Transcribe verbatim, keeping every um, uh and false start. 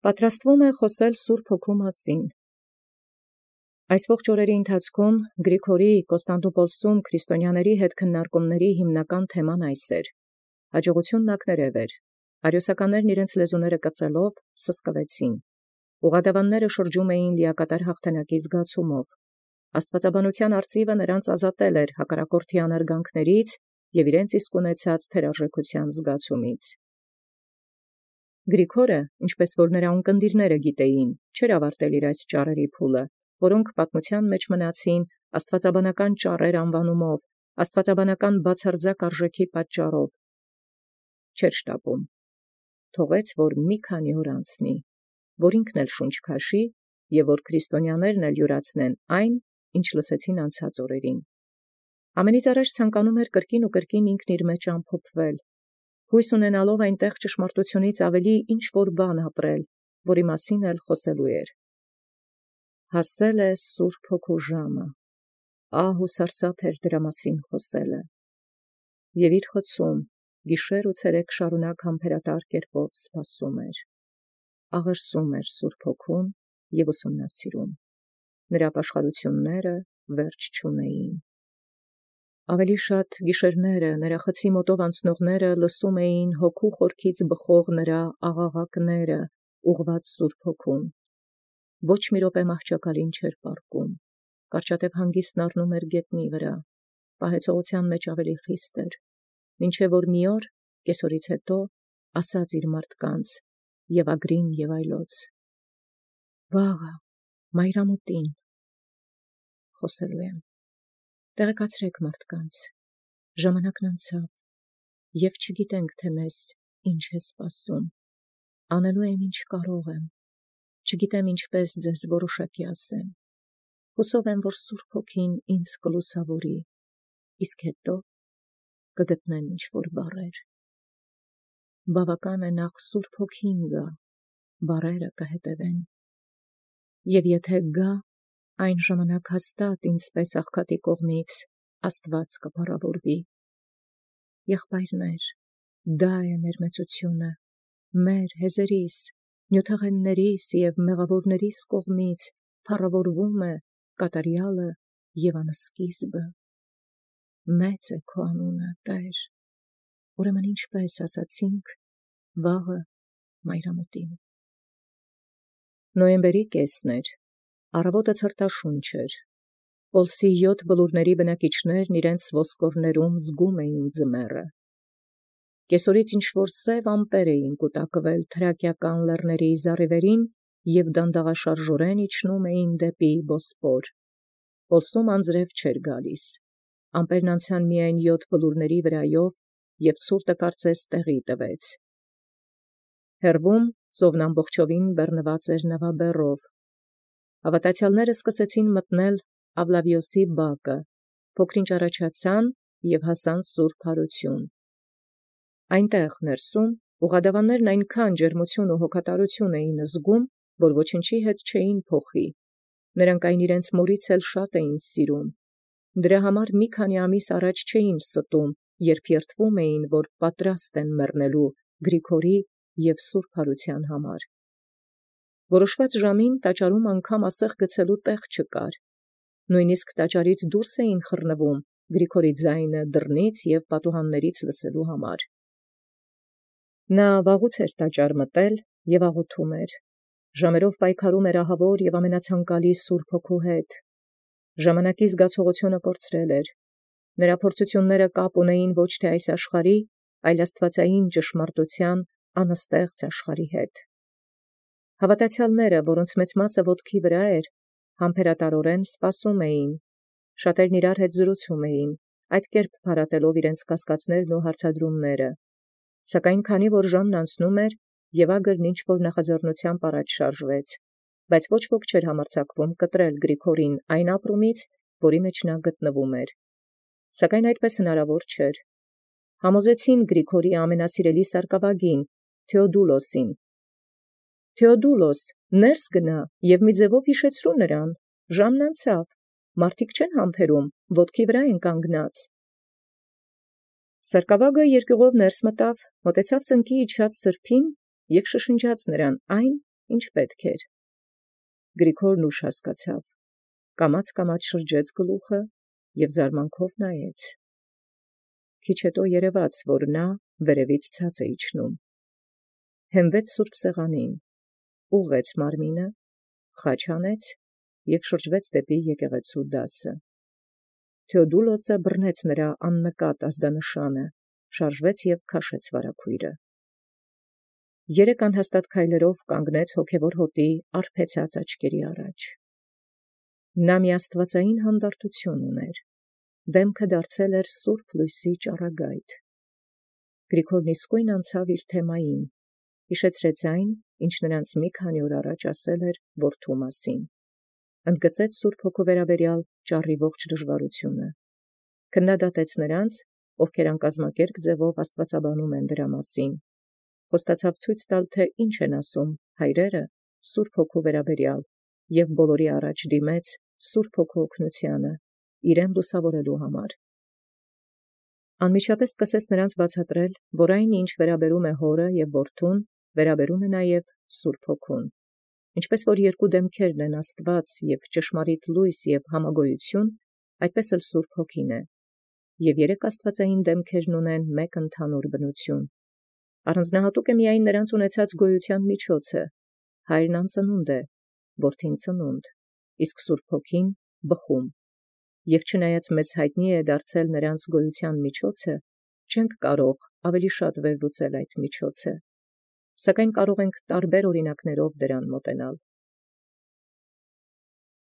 Պատրաստվում է խոսել Սուրբ Հոգու մասին։ Այս ողջ օրերի ընթացքում Գրիգորի Կոստանդնուպոլսում քրիստոնյաների հետ քննարկումների հիմնական թեման այս էր. հաջողությունն ակներև էր։ Արիոսականներն իրենց լեզուները կծելով սսկվեցին։ Ուղղադավանները շրջում էին լիակատար հաղթանակի զգացումով։ Աստվածաբանության արծիվը նրանց ազատել էր հակառակորդի անարգանքներից և իրենց իսկ ունեցած թերարժեքության զգացումից։ Գրիգորը, ինչպես որ նրա ունկնդիրները գիտեին, չէր ավարտել իր այս ճառերի փուլը, որոնք պատմության մեջ մնացին աստվածաբանական ճառեր անվանումով, աստվածաբանական բացարձակ արժեքի պատճառով։ Չէր շտապում։ Թողեց, որ մի քանի օր անցնի, որ ինքն էլ շունչ քաշի և որ քրիստոնյաներն էլ յուրացնեն այն, ինչ լսեցին անցած օրերին։ Ամենից առաջ ցանկանում էր կրկին ու կրկին ինքն իր մեջ ամփոփվել, հույս ունենալով այնտեղ ճշմարտությունից ավելի ինչ-որ բան ապրել, որի մասին էլ խոսելու էր։ Հասել է Սուրբ Հոգու ժամը, ահ ու սարսափ էր դրա մասին խոսելը։ Եվ իր խցում, գիշեր ու ցերեկ շարունակ համբերատար կերպով սպասում էր։ Աղերսում էր Սուրբ Հոգուն և ուսումնասիրում։ Նրա ապաշխարությունները վերջ չունեին։ Ավելի շատ գիշերները նրա խցի մոտով անցնողները լսում էին հոգու խորքից բխող նրա աղաղակները, ուղղված Սուրբ Հոգուն։ Ոչ մի րոպե մահճակալին չէր պառկում, կարճատև հանգիստն առնում էր գետնի վրա, պահեցողության մեջ ավելի խիստ էր, մինչև որ մի օր, կեսօրից հետո, ասաց իր մարդկանց և ագրին և այլոց. «Վաղը, մայրամուտին խոսելու եմ, տեղեկացրեք մարդկանց, ժամանակն անցավ, և չգիտենք, թե մեզ ինչ է սպասում, անելու եմ ինչ կարող եմ, չգիտեմ ինչպես ձեզ որոշակի ասեմ, հուսով եմ, որ Սուրբ Հոգին ինձ կլուսավորի, իսկ հետո կգտնեմ ինչ-որ բառեր։ Բավական է նախ Սուրբ Հոգին գա, բառերը կհետևեն, և եթե գա, այն ժամանակ հաստատ ինձպես աղքատի կողմից Աստված կփառավորվի։ Եղբայրներ, դա է մեր մեծությունը, մեր հեզերիս, նյութեղեններիս և մեղավորներիս կողմից փառավորվում է կատարյալը և անսկիզբը։ Մեծ է քո անունը, Տեր, ուրեմն ինչպես ասացինք, վաղը մայրամուտին»։ Նոյեմբերի կեսն էր, առավոտը ցրտաշունչ էր, Պոլսի յոթ բլուրների բնակիչներն իրենց ոսկորներում զգում էին ձմեռը։ Կեսօրից ինչ-որ սև ամպեր էին կուտակվել թրակիական լեռների զառիվերին և դանդաղաշարժորեն իջնում էին դեպի Բոսպոր։ Պոլսում անձրև չէր գալիս, ամպերն անցան միայն յոթ բլուրների վրայով, և ցուրտը կարծես տեղի տվեց։ Հեռվում ծովն ամբողջովին բեռնված էր նավաբեռով։ Հավատացյալները սկսեցին մտնել Ավլավիոսի բակը, փոքր-ինչ առաջացան և հասան Սուրբ Հարություն։ Այնտեղ ներսում ուղղադավաններն այնքան ջերմություն ու հոգատարություն էին զգում, որ ոչնչի հետ չէին փոխի։ Նրանք այն իրենց մորից էլ շատ էին սիրում։ Դրա համար մի քանի ամիս առաջ չէին ստում, երբ երդվում էին, որ պատրաստ են մեռնելու Գրիգորի և Սուրբ Հարության համար։ Որոշված ժամին տաճարում անգամ ասեղ գցելու տեղ չկար։ Նույնիսկ տաճարից դուրս էին խռնվում Գրիգորի ձայնը դռնից և պատուհաններից լսելու համար։ Նա վաղուց էր տաճար մտել և աղոթում էր։ Ժամերով պայքարում էր ահավոր և ամենացանկալի Սուրբ Հոգու հետ։ Ժամանակի զգացողությունը կորցրել էր։ Նրա փորձությունները կապ ունեին ոչ թե այս աշխարհի, այլ աստվածային ճշմարտության անըստեղծ աշխարհի հետ։ Հավատացյալները, որոնց մեծ մասը ոտքի վրա էր, համբերատարորեն սպասում էին։ Շատերն իրար հետ զրուցում էին, այդ կերպ փարատելով իրենց կասկածներն ու հարցադրումները։ Սակայն քանի որ ժամն անցնում էր, և ագրն ինչ-որ նախաձեռնությամբ առաջ շարժվեց, բայց ոչ ոք չէր համարձակվում կտրել Գրիգորին այն ապրումից, որի մեջ նա գտնվում էր։ Սակայն այդպես հնարավոր չէր։ Համոզեցին Գրիգորի ամենասիրելի սարկավագին Թեոդուլոսին. «Թեոդուլոս, ներս գնա և մի ձևով հիշեցրու նրան, ժամն անցավ, մարդիկ չեն համբերում, ոտքի վրա են կանգնած»։ Սարկավագը երկյուղով ներս մտավ, մոտեցավ ծնկի իջած սրբին և շշնջաց նրան այն, ինչ պետք էր։ Գրիգորն ուշ հասկացավ, կամաց-կամաց շրջեց գլուխը և զարմանքով նայեց։ Քիչ հետո երևաց, որ նա վերևից ցած է իջնում։ Հենվեց սուրբ սեղանին, ուղղեց մարմինը, խաչ հանեց և շրջվեց դեպի եկեղեցու դասը։ Թեոդուլոսը բռնեց նրա աննկատ ազդանշանը, շարժվեց և քաշեց վարագույրը։ Երեք անհաստատ քայլերով կանգնեց հոգևոր հոտի արբեցած աչքերի առաջ։ Նա մի աստվածային հանդարտություն ուներ, դեմքը դարձել էր սուրբ լույսի ճառագայթ։ Գրիգորն իսկույն անցավ իր թեմային, հիշեցրեց այն, ինչ նրանց մի քանի օր առաջ ասել էր որդու մասին, ընդգծեց Սուրբ Հոգու վերաբերյալ ճառի ողջ դժվարությունը, քննադատեց նրանց, ովքեր անկազմակերպ ձևով աստվածաբանում են դրա մասին, խոստացավ ցույց տալ, թե ինչ են ասում հայրերը Սուրբ Հոգու վերաբերյալ և բոլորի առաջ դիմեց Սուրբ Հոգու օգնությանը, իրեն լուսավորելու համար։ Անմիջապես սկսեց նրանց բացատրել, որ այն, ինչ վերաբերում է հորը և որդուն, վերաբերում է նաև Սուրբ Հոգուն, ինչպես որ երկու դեմքերն են Աստված և ճշմարիտ լույս և համագոյություն, այդպես էլ Սուրբ Հոգին է, և երեք աստվածային դեմքերն ունեն մեկ ընդհանուր բնություն։ Առանձնահատուկ է միայն նրանց ունեցած գոյության միջոցը, հայրն անծնունդ է, որդին ծնունդ, իսկ Սուրբ Հոգին բխում, և չնայած մեզ հայտնի է դարձել նրանց գոյության միջոցը, չենք կարող ավելի շատ վերլուծել այդ միջոցը, սակայն կարող ենք տարբեր օրինակներով դրան մոտենալ։